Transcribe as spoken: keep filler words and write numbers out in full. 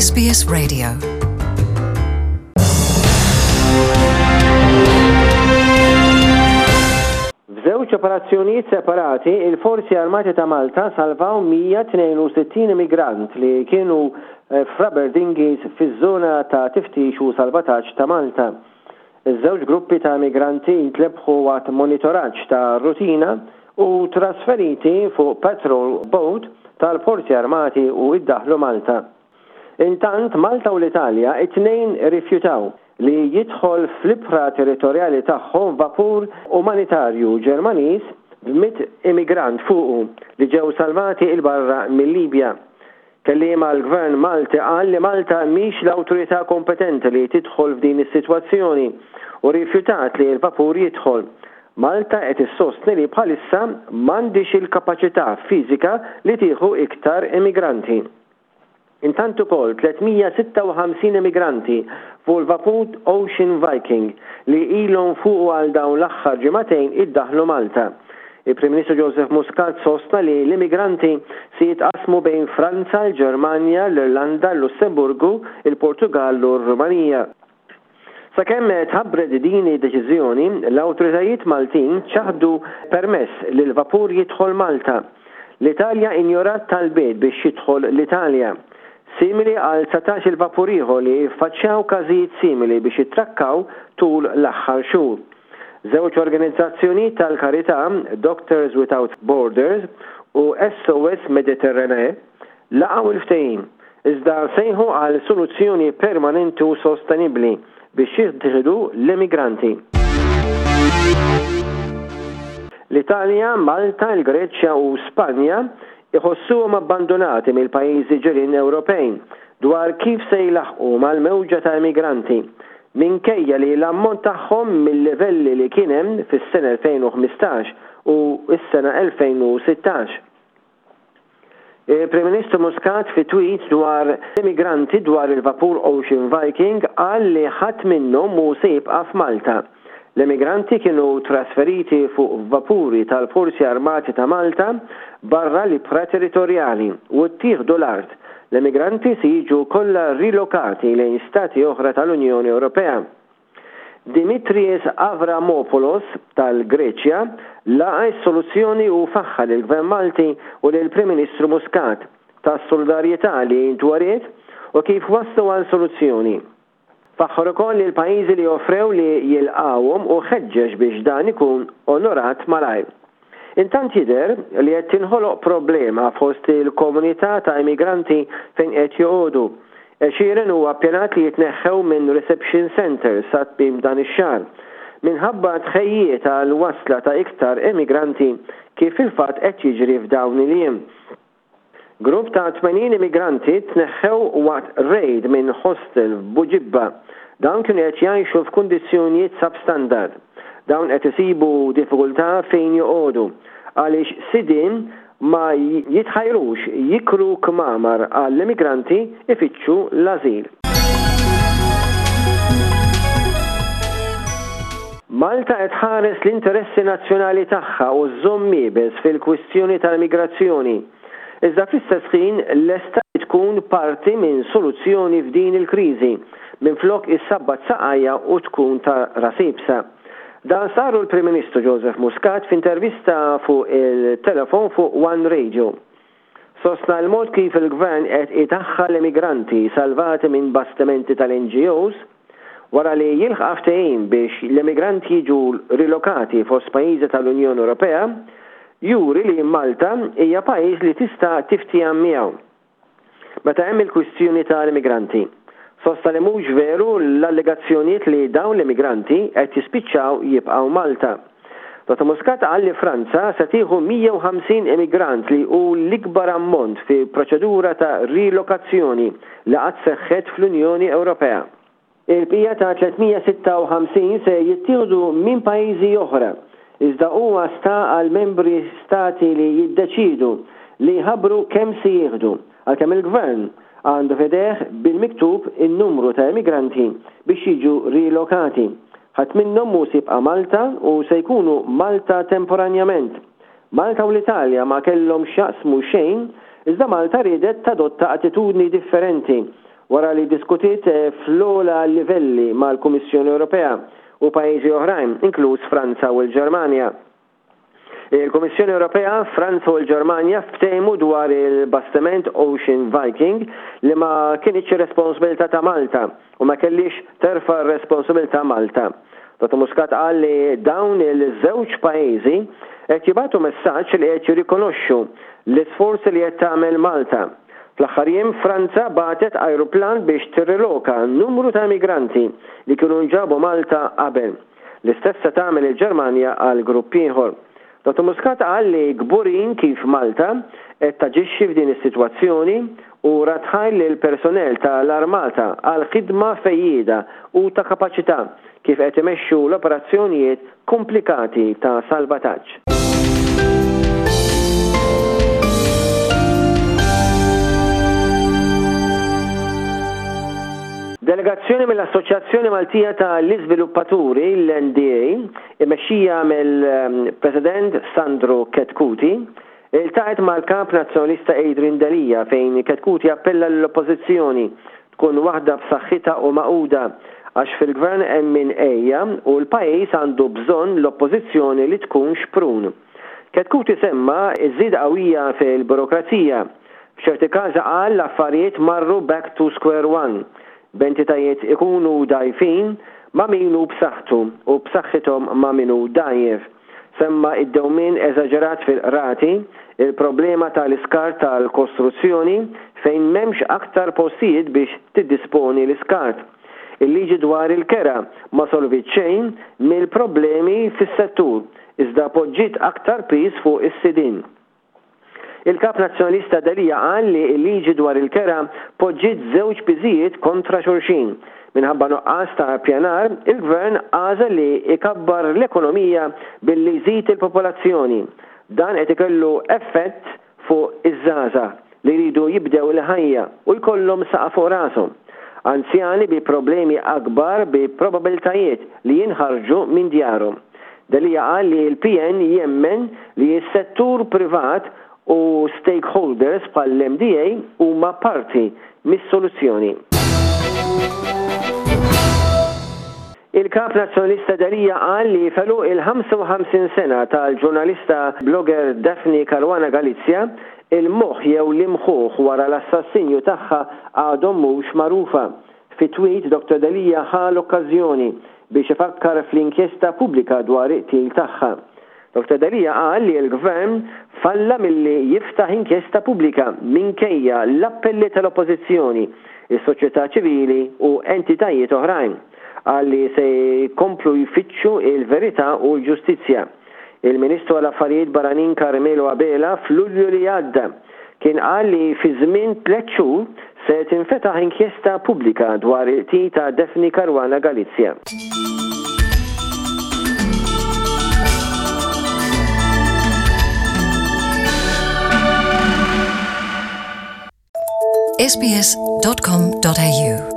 S B S Radio. F'żewġ operazzjonijiet separati, il-Forzi Armati ta' Malta salvaw mija tnejn u sittin immigrant li kienu eh, f'rubber dinghies fiż-żona ta' tiftix u salvataġġ ta' Malta. Iż-żewġ gruppi ta' immigranti intlebħu waqt monitoraġġ ta' rutina u trasferiti fuq patrol boat tal-Forzi Armati u iddaħlu Malta. Intant, Malta u l-Italja it-tnejn rifjutaw li jidħol fl-ibħra territorjali tagħhom vapur umanitarju Ġermaniż b'mitt immigrant fuqu li ġew salvati 'il barra mill-Libja. Kelliem għall-Gvern Malti qal li Malta mhix l-awtorità kompetenti li tidħol f'din is-sitwazzjoni u rifjutat li l-vapur jidħol. Malta qed issostni li bħalissa m'għandix il-kapaċità fiżika li tieħu iktar immigranti. Intant ukoll tliet mija sitta u ħamsin immigranti fuq il-vapur Ocean Viking li ilhom fuq għal dawn l-aħħar ġimagħtejn iddaħlu Malta. Il-Prim Ministru Joseph Muscat sostna li l-immigranti se jitqasmu bejn Franza, l-Ġermanja, l-Irlanda, l-Lussemburgu, il-Portugal u r-Rumanija. Sakemm tħabbret din id-deċiżjoni, l-awtoritajiet Maltin ċaħdu permess li l-vapur jidħol Malta. L-Italja injorat talbiet biex jidħol l-Italja. Simili għal dsatax il-vapur ieħor li faċċjaw każijiet simili biex jitrakkaw tul l-aħħar xhur. Żewġ organizzazzjoni tal-karità, Doctors Without Borders u S O S Mediterranee, laqgħu il-ftehim, iżda sejħu għal soluzzjoni permanenti u sostenibbli biex jittieħdu l-immigranti. L-Italja, Malta, il-Greċja u Spanja iħossuhom abbandonati mill-pajjiżi ġirien Ewropej dwar kif se jlaħqu mal-mewġa ta' immigranti, minkejja li l-ammont tagħhom mill-livelli li kien hemm fis-sena elfejn u ħmistax u s-sena elfejn u sittax. Il-Prim Ministru Muscat, fi tweet dwar immigranti dwar il-vapur Ocean Viking, qal li ħadd minnhom mhu se jibqa' f'Malta. L-immigranti kienu trasferiti fuq vapuri tal-Forzi Armati ta' Malta barra l-ibħra territorjali u ttieħdu l-art. L-immigranti se jiġu kollha rilokati lejn stati oħra tal-Unjoni Ewropea. Dimitris Avramopoulos tal-Greċja laqa s-soluzzjoni u faħħar il-Gvern Malti u lill-Prim Ministru Muscat tas-solidarjetà li ntweriet u kif waslu għal soluzzjoni. Faħħar ukoll li l-pajjiżi li offrew li jilqawhom u ħeġġeġ biex dan ikun onorat malajr. Intant jidher li qed tinħoloq problema fost il-komunità ta' immigranti fejn qed joqogħdu. Għexieren huwa ppjanat li jitneħħew minn reception center sa tmiem dan ix-xahar minħabba tħejjiet għal wasla ta' iktar immigranti, kif fil-fatt qed jiġri f'dawn il-jiem. Grupp ta' tmenin immigranti tneħħew waqt raid minn hostel f'Buġibba. Dawn kienu qed jgħixu f'kundizzjonijiet substandard. Dawn qed isibu diffikultà fejn joqogħdu għaliex sidien ma jitħajrux jikru kmamar għall-immigranti ifittxu l-azil. Malta qed tħares l-interessi nazzjonali tagħha u żżomm iebes fil-kwistjoni tal-migrazzjoni. Iżda fl-istess ħin lesta li tkun parti minn soluzzjoni f'din il-kriżi minflok issabbat saqajja u tkun ta' ras iebsa. Dan stqarru l-Prim Ministru Joseph Muscat f'intervista fuq il-telefon fuq One Radio. Sostna l-mod kif il-gvern qed idaħħal immigranti salvati minn bastimenti tal-N G Os wara li jilħaq ftehim biex l-immigranti jiġu rilokati fost pajjiżi tal-Unjoni Ewropea juri li Malta hija pajjiż li tista' tiftiehem miegħu meta hemm il-kwistjoni tal-immigranti. Sostna li mhux veru l-allegazzjonijiet li dawn l-immigranti qed jispiċċaw jibqgħu Malta. Dottor Muscat qal li Franza se tieħu mija u ħamsin immigrant, li hu l-ikbar ammont fi proċedura ta' rilokazzjoni li qatt seħħet fl-Unjoni Ewropea. Il-bqija ta' tliet mija sitta u ħamsin se jittieħdu minn pajjiżi oħra, iżda huwa sta għal membri stati li jiddeċidu li jħabbru kemm se jieħdu, għalkemm il-gvern għandu f'idejh bil-miktub in-numru ta' immigranti biex jiġu rilokati. Ħadd minnhom mhu se jibqa' Malta u se jkunu Malta temporanjament. Malta u l-Italja ma kellhom x'jaqsmu xejn, iżda Malta riedet tadotta attitudni differenti. wara li ddiskutiet fl-ogħla livelli mal-Kummissjoni Ewropea u pajjiżi oħrajn, inkluż Franza u l-Ġermanja. Il-Kummissjoni Ewropea, Franza u l-Ġermanja ftehmu dwar il-bastiment Ocean Viking li ma kinitx responsabilità ta' Malta u ma kellix terfa' r-responsabilità Malta. Dottor Muscat qal li dawn il-żewġ pajjiżi qed jibagħtu messaġġ li qed jirrikonoxxu l-isforzi li qed tagħmel Malta. Fl-aħħar jiem Franza bagħtet ajruplan biex tirriloka numru ta' immigranti li kienu nġabu Malta qabel. L-istess se tagħmel il-Ġermanja għal grupp ieħor. Dottor Muscat qal li kburin kif Malta qed taġixxi f'din is-sitwazzjoni u radd ħajr lill-personnel ta' l-Armata għal ħidma fejjieda u ta' kapaċità kif qed imexxu l-operazzjonijiet komplikati ta' salvataġġ. Delegazzjoni mill-Assoċjazzjoni Maltija ta' l-Iżviluppaturi, l-N D A, imexxija mill-President Sandro Chetcuti, iltaqgħet mal-Kap Nazzjonalista Adrian Delia fejn Chetcuti appella l-Oppożizzjoni tkun waħda b'saħħitha u magħquda għax fil-gvern hemm min ejja u l-pajjiż għandu bżonn l-oppożizzjoni li tkun xprun. Chetcuti semma ż-żieda qawwija fil-burokrazija. F'ċerti każi qal l-affarijiet marru back to square one. B'entitajiet ikunu dgħajfin ma' min hu b'saħħtu u b'saħħithom ma' min hu dgħajjef. Semma id-dewmien eżaġerat fil-qrati, il-problema tal-iskart tal-kostruzzjoni fejn m'hemmx aktar postijiet biex tiddisponi l-iskart. Il-liġi dwar il-kera ma solvit xejn mill-problemi fis-settur, iżda poġġiet aktar piż fuq is-sidien. Il-Kap Nazzjonalista Delia qal li l-liġi dwar il-kera poġġiet żewġ piżijiet kontra xulxin. Minħabba nuqqas ta' pjanar, il-Gvern għażel li ikabbar l-ekonomija billi jżid il-popolazzjoni. Dan qed ikollu effett fuq iż-żgħażagħ li jridu jibdew il-ħajja u jkollhom saqaf fuq rashom. Anzjani bi problemi akbar bi probabiltajiet li jinħarġu minn djarhom. Delia qal li l-P N jemmen li s-settur privat u stakeholders bħall-M D A huma parti mis-soluzzjoni. Il-Kap Nazzjonalista Delia qal li felu il-ħamsa u ħamsin sena tal-ġurnalista blogger Daphne Caruana Galizia, il-moħħ jew l-imħuħ wara l-assassinju tagħha għadhom mhux magħrufa. Fi tweet Doctor Delia ħa l-okkażjoni biex ifakkar fl-inkjesta pubblika dwar it-qtil tagħha. Doctor Delia qal li l-Gvern falla milli jiftaħ inkjesta pubblika minkejja l-appelli tal-Oppożizzjoni, is-soċjetà ċivili u entitajiet oħrajn. Qal li se jkomplu jfittxu il-verità u l-ġustizzja. Il-Ministru għall-Affarijiet Barranin Carmelo Abela f'Lulju li għadda kien qal li fi żmien tliet xhur se tinfetaħ inkjesta pubblika dwar il-qtil ta' Daphne Caruana Galizia. S B S dot com dot A U